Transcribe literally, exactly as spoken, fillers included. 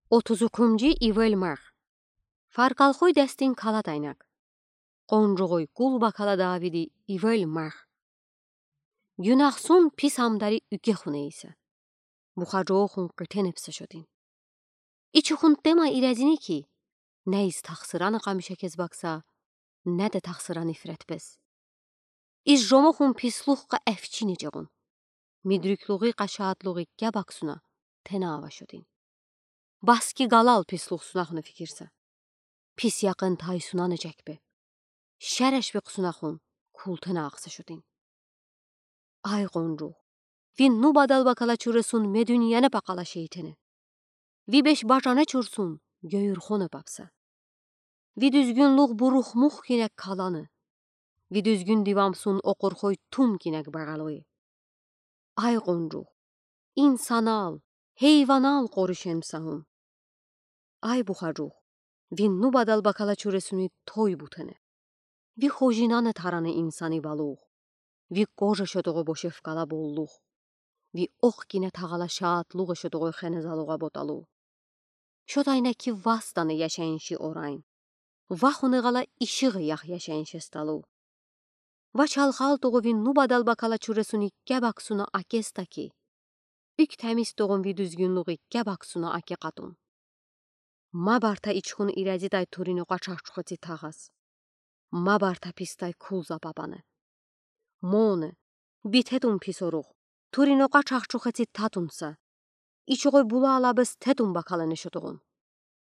Отуз уькумжи ивел марх. Фаркалхуй дестин калад айнак. Къунжугъуй кул бакала давиди ивел марх. Гюнагсун пис амдари уьгехун эйса, бухаджоохун къитенебса шотин. Ичи хунтема ирезини ки, не из тахсыраны къамиша кез бакса, не де тахсыран ифретбез. Из жомохун пислух къа эфчини жегъун. Мидрюклугъи къа шадлугъи геб аксуна тена ава шотин. Баски галал пислух сунахуна фикирса, пис якъын тайсунан эжекбе. Шереш бекъ сунахун култена акса шотин. Ай къунжугъ, ви нубадал бакала чуресун медуньяны пакъала шейтене. Ви беш бажаны чурсун гёйюрхоне папса. Ви дуьзгюнлугъ бурухмух кинек каланы. Ви дуьзгюн дивамсун окъурхой тум кинек багалуй. Ай къунжугъ, инсанал, хейванал къоришенмса хун. Ай бухаджугъ, ви нубадал бакала чуресуни той бутене. Ви хожинаны тараны инсани балугъ. Ви кожа шотогъо бошев кала боллугъ. Ви охкине тагъала шадлугъ шотогъо хене залугъа боталугъ. Шотайна ки вастаны яшайынши орайн. Вахуни гъала ишигъи ях яшайынши сталугъ. Ва чалхалтугъу ви нубадал бакала чуресуни геб аксуна акеста ки, уьк темистугъун ви дуьзгюнлугъи геб аксуна аке къатун. Ма барта ичхун ирезидай турин окъа чахчухеци тагъаз. Ма барта пистай кул запапаны. Моне, битетун пис оругъ, турин окъа чахчухеци татунса. Ичугъой була алабез тетун бакалане шотугъун.